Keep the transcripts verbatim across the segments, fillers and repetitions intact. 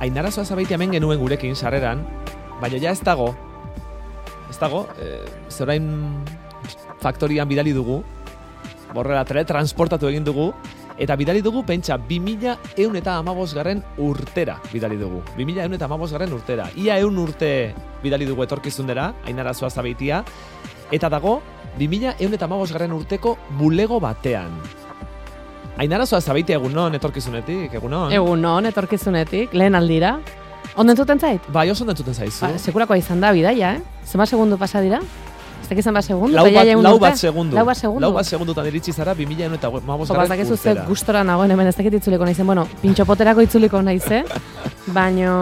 Ainara Zuazabeitia hemen genuen gurekin sarreran, baina ja ez dago, ez dago, e, zerain faktorian bidali dugu, borrela teletransportatu egin dugu, eta bidali dugu, pentsa, bi mila ehun eta hamabost garren urtera bidali dugu. bi mila ehun eta hamabost garren urtera. Ia ehun urte bidali dugu etorkizundera, Ainara Zuazabeitia, eta dago, bi mila ehun eta hamabost garren urteko bulego batean. Ainara Zuazabeitia egunon etorkizunetik, egunon? Egunon etorkizunetik, lehen aldira. Ondo entzuten zait? Bai, oso ondo entzuten zaizu. Ba, sekulakoa izan da, bidaia, eh? Zema segundu pasa dira? Ez dakit zenba segundu? Lau bat, lau bat segundu. Lau bat segundu. Lau bat segundutan iritsi zara, bi mila ehun eta hamabost garren urtera. Ze gustora nagoen hemen ez dakit itzuliko naizen. Bueno, pintxopoterako itzuliko naize, baino...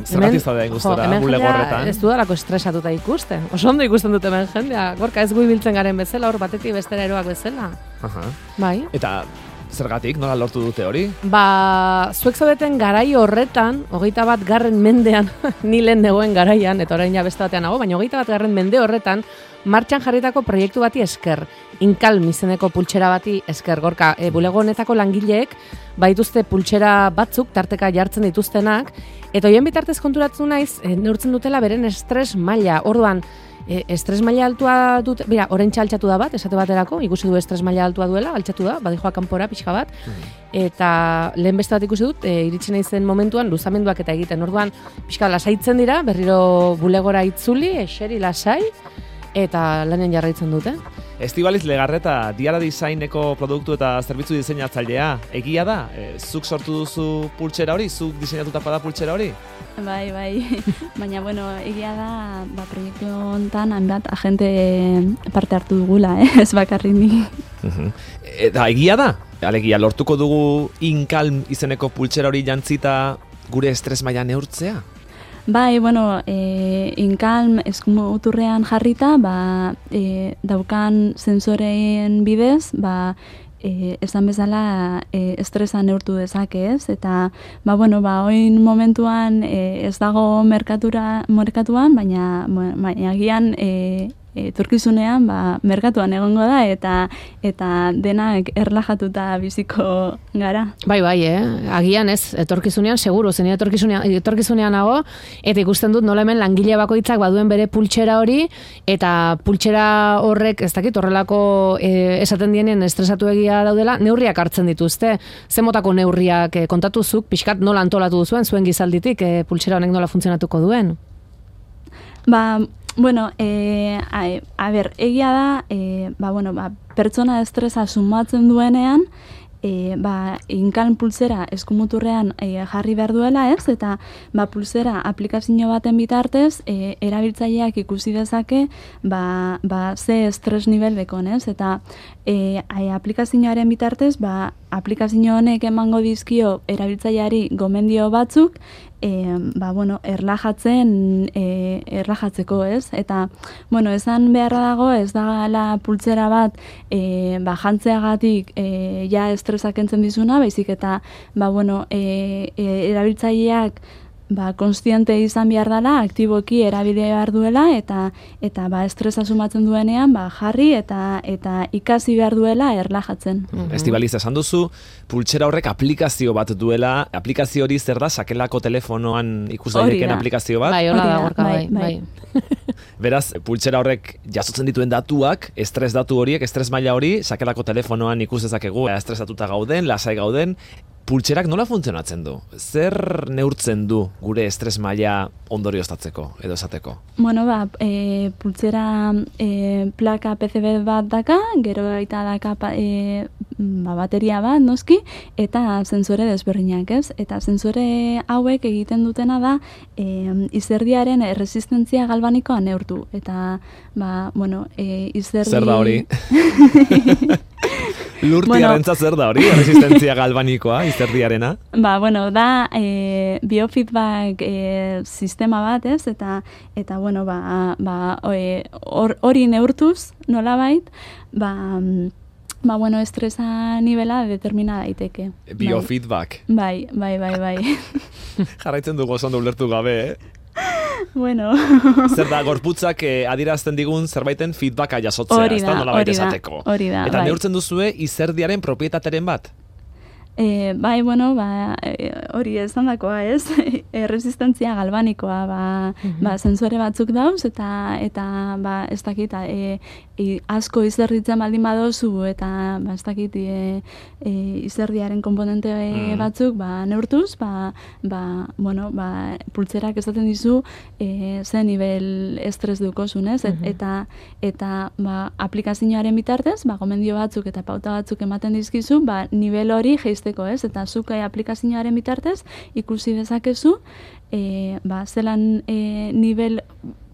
Zerratiz da den gustora, bulego horretan. Ez dudalako estresatuta ikusten. Oso ondo ikusten dute hemen jendea. Gorka ez gu ibiltzen garen bezala, hor batetik bestera eroak bezala. Aha. Bai. Eta zergatik, nola lortu dute hori? Ba, zuek zaudeten garai horretan, hogeita bat garren mendean, ni lehen negoen garaian, eta orain ja beste batean nago, baina hogeita bat garren mende horretan, martxan jarritako proiektu bati esker, Inkalm izeneko pultsera bati esker, Gorka, e, bulego honetako langileek, baituzte pultsera batzuk, tarteka jartzen dituztenak, eta hoien bitartez konturatu naiz, e, neurtzen dutela beren estres maila, orduan, E, estres maila altua dut, bera, orentxa altxatu da bat, esate baterako, ikusi du estres maila altua duela, altxatu da, badijoa kanpora pixka bat, eta lehen beste bat ikusi dut, e, iritsi naizen momentuan luzamenduak eta egiten, orduan pixka lasaitzen dira, berriro bulegora itzuli, eseri lasai, eta lanen jarraitzen dute. Estibaliz Legarreta, Diara Designeko produktu eta zerbitzu diseinatzailea, egia da? E, zuk sortu duzu pultsera hori? Zuk diseinatutapa da pultsera hori? Bai, bai. Baina, bueno, egia da, ba, proiektu honetan hanbat agente parte hartu dugula, eh? Ez bakarrik ni. Uh-huh. Eta egia da? Alegia, lortuko dugu Inkalm izeneko pultsera hori jantzita gure estres maila neurtzea? Bai, bueno, e, Inkalm eskumuturrean jarrita, ba, e, daukan sensoreen bidez, ba, e, esan bezala e, estresa neurtu dezake, ez? Eta, ba, bueno, ba, oin momentuan e, ez dago merkatura, merkatuan, baina, baina agian e, etorkizunean ba, merkatuan egongo da eta eta denak erlajatuta biziko gara. Bai, bai, eh? Agian ez, etorkizunean seguru, zen etorkizunean, etorkizunean nago, eta ikusten dut nola hemen langile bakoitzak baduen bere pultsera hori, eta pultsera horrek, ez dakit, horrelako eh, esaten dienien estresatu egia daudela, neurriak hartzen dituzte. Ze motako neurriak eh, kontatuzuk, pixkat nola antolatu duzuen, zuen gizalditik, eh, pultsera honek nola funtzionatuko duen? Ba, bueno, eh, a, a ber, egia da, eh, ba, bueno, ba, pertsona estresa sumatzen duenean, e, ba, Inkalm pulsera eskumuturrean e, jarri behar duela, ez? Eta ba, pulsera aplikazio baten bitartez, e, erabiltzaileak ikusi dezake ba, ba, ze estres nivel dekon, ez? Eta e, aplikazioaren bitartez, ba, aplikazio honek emango dizkio erabiltzaileari gomendio batzuk, E, ba, bueno, erlajatzen, e, erlajatzeko, ez? Eta, bueno, esan beharra dago, ez da la pultsera bat e, ba, jantzeagatik e, ja estresak entzen dizuna, baizik eta, ba, bueno, e, e, erabiltzaileak ba, konstiente izan behar dela, aktiboki erabide behar duela, eta eta ba, estresa sumatzen duenean, ba, jarri eta eta ikasi behar duela erlajatzen. Mm-hmm. Estibaliz, esan duzu, pultsera horrek aplikazio bat duela, aplikazio hori zer da, sakelako telefonoan ikus daiteken aplikazio bat? Bai, hola da, gorka, bai, bai. bai. Beraz, pultsera horrek jasotzen dituen datuak, estres datu horiek, estres maila hori, sakelako telefonoan ikus dezakegu, estresatuta gauden, lasai gauden. Pultserak nola funtzionatzen du? Zer neurtzen du gure estres maila ondorioztatzeko edo esateko? Bueno, ba, e, pultsera e, plaka P C B bat daka, gero eta daka e, ba, bateria bat, noski, eta sensore desberdinak, ez? Eta sensore hauek egiten dutena da e, izerdiaren erresistentzia galbanikoa neurtu. Eta, ba, bueno, e, izerdi... Zer da hori? Lurtiarentza zer da hori, resistentzia galbanikoa, izerdiarena? Ba, bueno, da e, biofeedback e, sistema bat, ez? Eta, eta bueno, ba, ba, hori or, neurtuz, nolabait, ba, ba, bueno, estresa nivela determina daiteke. Biofeedback? Bai, bai, bai, bai. Jarraitzen dugu oso ondo ulertu gabe, eh? Bueno. Zer da, gorputzak eh, adierazten digun zerbaiten feedbacka jasotzea, ez da, nolabait esateko. Hori da, Eta bai. neurtzen duzue izerdiaren propietateren bat? E, bai, bueno, ba, e, hori ez handakoa, ez? Erresistentzia galbanikoa, ba, mm-hmm. ba, sensore batzuk dauz, eta, eta ba, ez dakit, e, e, asko izerditzen baldin badozu, eta, ba, ez dakit, e, e, izerdiaren komponente mm. batzuk, ba, neurtuz, ba, ba, bueno, ba, pultzerak esaten dizu, e, ze nivel estres dukozun, ez? Et, mm-hmm. Eta, eta, ba, aplikazioaren bitartez, ba, gomendio batzuk eta pauta batzuk ematen dizkizu, ba, nivel hori geizte ez? Eta zuk aplikazioaren bitartez ikusi dezakezu e, ba, zelan e, nivel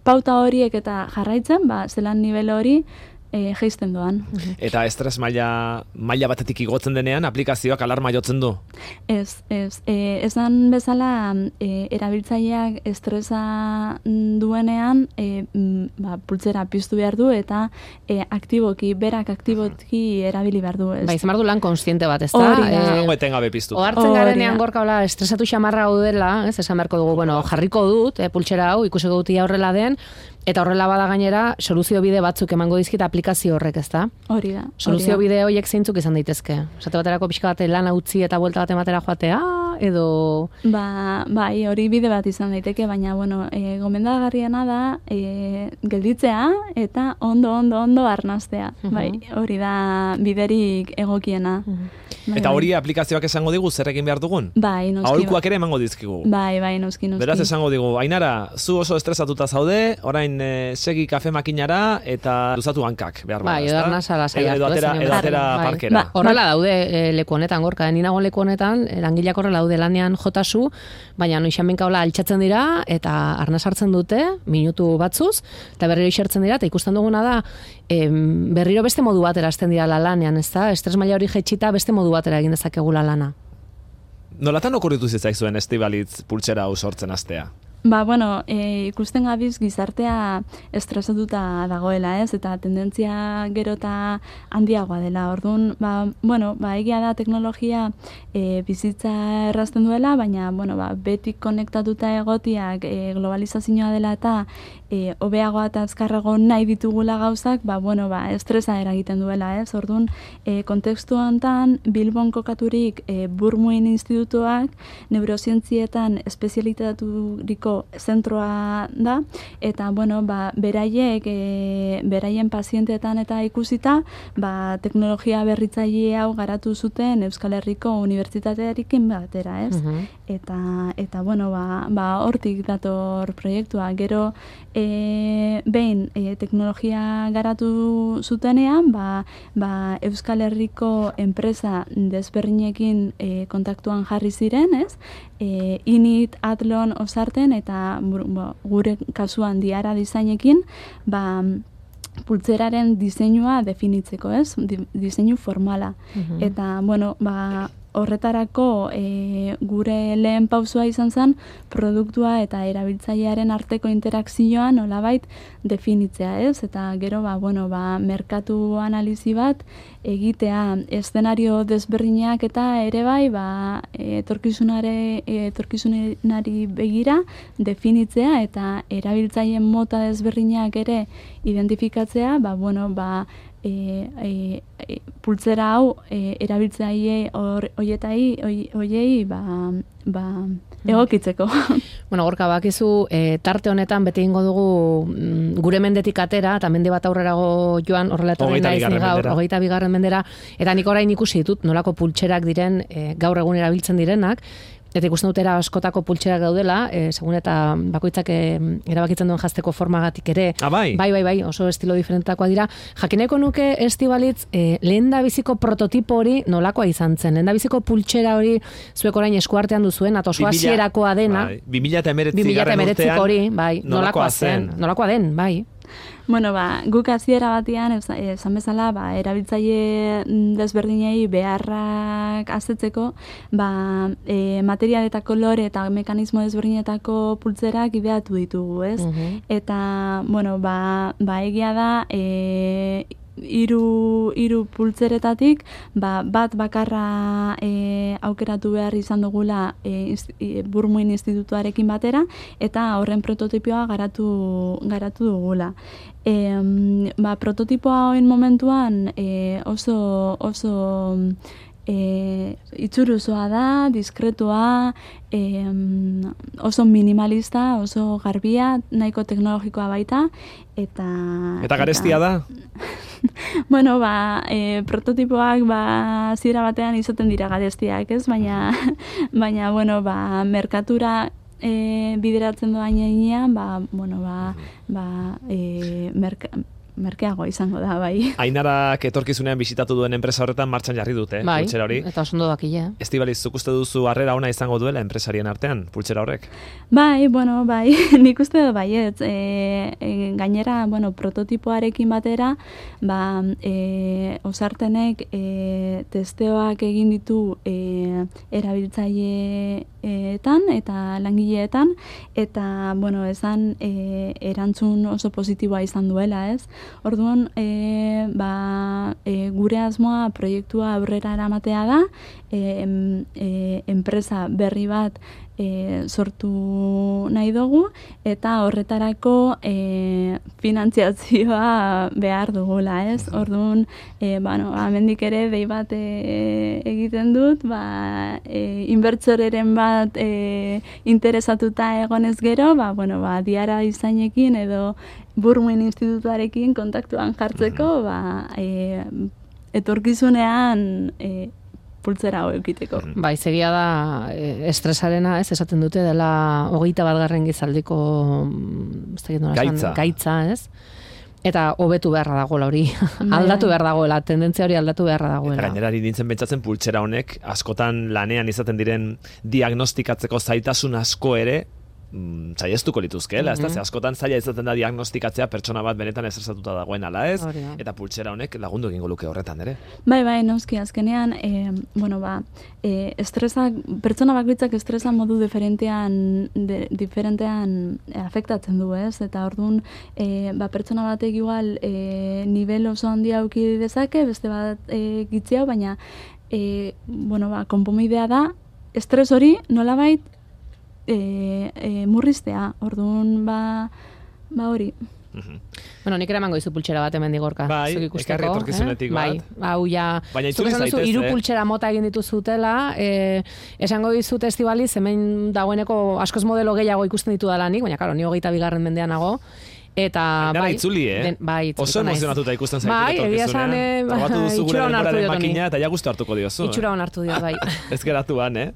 pauta horiek eta jarraitzen, ba, zelan nivel hori e, geizten doan. Eta estres maila, maila batetik igotzen denean aplikazioak alarma jotzen du? Ez, ez. E, esan bezala e, erabiltzaileak estresa duenean e, ba, pultzera piztu behar du eta e, aktiboki, berak aktiboki erabili behar du. Ez. Ba, izan behar du lan konstiente bat, ez da? Hori da. Zango etengabe piztu. Ohartzen garenean gorka hola estresatu xamarra hau dela, ez, esan beharko dugu, bueno, jarriko dut, e, pultsera hau, ikusiko dut ia horrela den, eta horrela bada gainera, soluzio bide batzuk emango dizkit aplikazio horrek, ez da? Hori da. Soluzio bide horiek zeintzuk izan daitezke. Esate baterako pixka bate lan utzi eta buelta bat ematera joatea, edo... Ba, bai, hori bide bat izan daiteke, baina, bueno, e, gomendagarriena da, e, gelditzea eta ondo, ondo, ondo arnaztea. Uh-huh. Bai, hori da biderik egokiena. Uh-huh. Bai, eta hori bai. aplikazioak esango digu zer egin behar dugun? Bai, noski. Aholkuak ere emango dizkigu. Bai, bai, noski, noski. Beraz esango digu, Ainara, zu oso estresatuta zaude, orain e, segi kafe makinara eta luzatu hankak, behar bada, bai, edo arnazala saiatu. Edo atera, edo atera bai. parkera. Ba, horrela daude e, leku honetan, gorka, ni nago leku honetan, langileak horrela daude lanean jotasu, baina noixan benka hola altxatzen dira, eta arnaz hartzen dute, minutu batzuz, eta berriro isertzen dira, eta ikusten duguna da, em, berriro beste modu batera hasten dira la lanean, ez da? Estres maila hori jetxita beste modu batera egin dezakegula lana. Nolatan okurritu zitzaizuen Estibalitz pultsera hau sortzen hastea? Ba, bueno, e, ikusten gabiz gizartea estresatuta dagoela, ez? Eta tendentzia gero eta handiagoa dela. Orduan, ba, bueno, ba, egia da teknologia e, bizitza errazten duela, baina, bueno, ba, betik konektatuta egotiak e, globalizazioa dela eta e, hobeagoa eta azkarrago nahi ditugula gauzak, ba, bueno, ba, estresa eragiten duela, ez? Orduan, e, kontekstu honetan, Bilbon kokaturik e, Burmuin institutuak neurozientzietan espezialitaturiko zentroa da, eta, bueno, ba, beraiek, e, beraien pazienteetan eta ikusita, ba, teknologia berritzaile hau garatu zuten Euskal Herriko Unibertsitatearekin batera, ez? Uh-huh. Eta, eta, bueno, ba, ba, hortik dator proiektua. Gero, e, behin, e, teknologia garatu zutenean, ba, ba, Euskal Herriko enpresa desberdinekin e, kontaktuan jarri ziren, ez? E, Init, Atlon, Osarten, eta bo, gure kasuan Diara disainekin, ba, pultzeraren diseinua definitzeko, ez? Di, diseinu formala. Uh-huh. Eta, bueno, ba, horretarako e, gure lehen pausua izan zen produktua eta erabiltzailearen arteko interakzioa nolabait definitzea, ez? Eta gero, ba, bueno, ba, merkatu analizi bat egitea eszenario desberdinak eta ere bai, ba, etorkizunare, etorkizunari begira definitzea eta erabiltzaileen mota desberdinak ere identifikatzea, ba, bueno, ba, E, e, e, pultzera hau e, erabiltzaile hoietai hoiei ba, ba, egokitzeko. Bueno, gorka bakizu, e, tarte honetan beti egingo dugu mm, gure mendetik atera, eta mende bat aurrerago joan horrela etorri naiz ni gaur, hogeita bigarren mendera, eta nik orain ikusi ditut nolako pultserak diren e, gaur egun erabiltzen direnak, eta ikusten dutera askotako pultserak daudela, e, segun eta bakoitzak e, erabakitzen duen jazteko formagatik ere. Ah, bai? Bai, bai, bai, oso estilo diferentakoa dira. Jakineko nuke Estibalitz, e, lehen da biziko prototipo hori nolakoa izan zen. Lehen da biziko pultsera hori zuek orain eskuartean duzuen, eta oso hasierakoa dena. Bai, bi mila hemeretzi urtean hori, bai, nolakoa zen. Nolakoa den, bai. Bueno, ba, guk hasiera batean, esan bezala, ba, erabiltzaile desberdinei beharrak asetzeko, ba, e, material eta kolore eta mekanismo desberdinetako pultzerak ideatu ditugu, ez? Uh-huh. Eta, bueno, ba, ba egia da, e, Hiru, hiru pultzeretatik, ba, bat bakarra e, aukeratu behar izan dugula e, e, Burmuin institutuarekin batera, eta horren prototipoa garatu, garatu dugula. E, ba, prototipoa hoin momentuan e, oso, oso e, itxuruzoa da, diskretua, e, oso minimalista, oso garbia, nahiko teknologikoa baita, eta... Eta garestia da? Bueno, ba, e, prototipoak ba, zira batean izaten dira garestiak, ez? Baina, baina bueno, ba, merkatura e, bideratzen doa inean, ba, bueno, ba, ba, e, merka, merkeago izango da, bai. Ainarak etorkizunean bisitatu duen enpresa horretan martxan jarri dute, bai, pultsera hori. Eta oso ondo dakile. Estibaliz, zuk uste duzu harrera ona izango duela enpresarien artean, pultsera horrek? Bai, bueno, bai, nik uste dut baietz. E, e, gainera, bueno, prototipoarekin batera, ba, e, osartenek e, testeoak egin ditu e, erabiltzaileetan eta langileetan, eta, bueno, esan e, erantzun oso positiboa izan duela, ez? Orduan, e, ba, e, gure asmoa proiektua aurrera eramatea da, e, e, enpresa berri bat e, sortu nahi dugu, eta horretarako e, finantziazioa behar dugula, ez? Orduan, e, bueno, amendik ere dei bat e, egiten dut, ba, e, inbertsoreren bat e, interesatuta egonez gero, ba, bueno, ba, diara izainekin edo Burmuin institutuarekin kontaktuan jartzeko, ba, e, etorkizunean e, pultzera hau eukiteko. Bai, segia da e, estresarena, ez, esaten dute dela hogeita bat garren gizaldiko gaitza. gaitza, ez? Eta hobetu beharra dagoela hori, aldatu behar dagoela, tendentzia hori aldatu beharra dagoela. Eta gainerari nintzen pentsatzen pultsera honek, askotan lanean izaten diren diagnostikatzeko zailtasun asko ere, saiestuko lituzkeela, mm-hmm. ez da, askotan zaila izaten da diagnostikatzea pertsona bat benetan estresatuta dagoen ala ez, eta pultsera honek lagundu egingo luke horretan ere. Bai, bai, noski, azkenean, e, bueno, ba, e, estresak, pertsona bakoitzak estresa modu diferentean, de, diferentean afektatzen du, ez, eta orduan, e, ba, pertsona batek igual e, nivel oso handia auki dezake, beste bat e, gitziau, baina, e, bueno, ba, konponbidea da, estres hori nolabait E, e, murriztea, orduan ba, ba hori. Mm-hmm. Bueno, nik ere emango dizu pultsera bat hemen digorka. Bai, ekarri etorkizunetik eh? bat. Bai, hau ja, baina itzuli zaitez, eh? Hiru pultsera mota egin dituzutela, eh, esango dizut Estibaliz, hemen dagoeneko askoz modelo gehiago ikusten ditu dalanik, baina karo, ni hogeita bigarren mendean nago. Eta Ainara bai, itzuli, eh? Den, bai, oso emozionatuta ikusten zaitu bai, etorkizunean. Eh, Probatu duzu gure denboraren makina eta ja gustu hartuko diozu. Itxura hon hartu dio, bai. Ez geratuan, eh?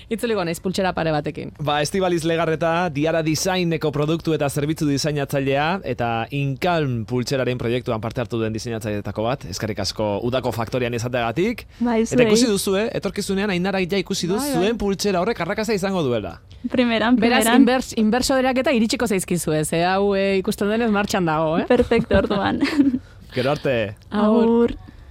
Itzuliko naiz pultsera pare batekin. Ba, Estibaliz Legarreta, Diara Designeko produktu eta zerbitzu diseinatzailea eta Inkalm pultseraren proiektuan parte hartu duen diseinatzaileetako bat. Eskerrik asko udako faktorian izateagatik. Bai, eta ikusi duzu, eh? Etorkizunean Ainara ja ikusi du bai, zuen bai. Pultsera horrek arrakasta izango duela. Primeran, primeran. Beraz, inbers, inbersoderak eta iritsiko zaizkizu ez, eh? Hau eh, ikusten denez martxan dago, eh? Perfecto, orduan. Gero arte. Agur.